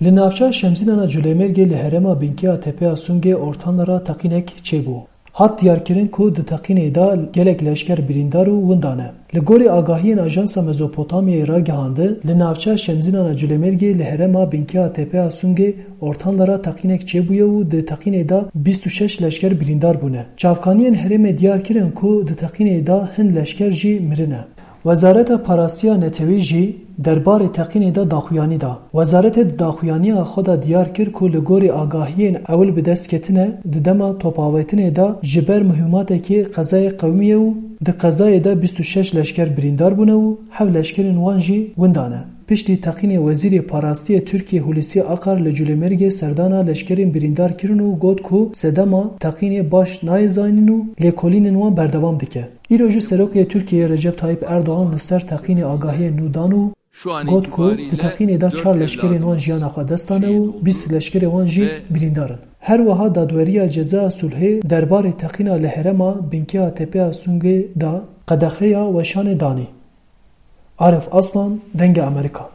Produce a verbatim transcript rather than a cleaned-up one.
Li navça Şemzînana Culêmêrgê li herêma Binkê a Tepeya Sûngê ortanlara teqînek çêbû. Hat diyarkirin ku di teqînê de gelek leşker birîndar û winda ne. Li gorî agahiyên Ajansa Mezopotamyayê ragihandi, li navça Şemzînana Culêmêrgê li herêma Binkê a Tepeya Sûngê ortanlara teqînek çêbûye û di teqînê de bîst û şeş leşker birîndar bûne. Çavkaniyên herêmê diyar kirin ku di teqînê de hin leşker jî mirine. Wezareta Parastiya Netewî jî derbarê teqînê de daxuyanî da. Wezarete di daxuyaniya xwe de diyar kir ku li gorî agahiyên ewil bi dest ketine, di dema topavêtinê de ji ber muhîmatekê qezayê qewimiye û di qezayê de bîst û şeş leşker birîndar bûne û heft leşkerên wan jî winda ne. Piştî teqînê Wezîrê Parastiyê Tirkiyê Hulusi Akar li Culêmêrgê serdana leşkerên birîndar kirin û got ku sedema teqînê baş nayê zanîn û lêkolînên wan berdewam dike. Îro jî Serokê Tirkiyeyê Recep Tayyip Erdogan li ser teqînê agahiyên nû dan û got ku di teqînê de çar leşkerên wan jiyana xwe dest dane û bîst leşkerê wan jî birîndar in. Her wiha Dadweriya Cezaya Sulhê derbarê teqîna li herêma Binkê a Tepeya Sûngê de qedexeya weşanê danî. Arif Aslan, Dengê Amerîka.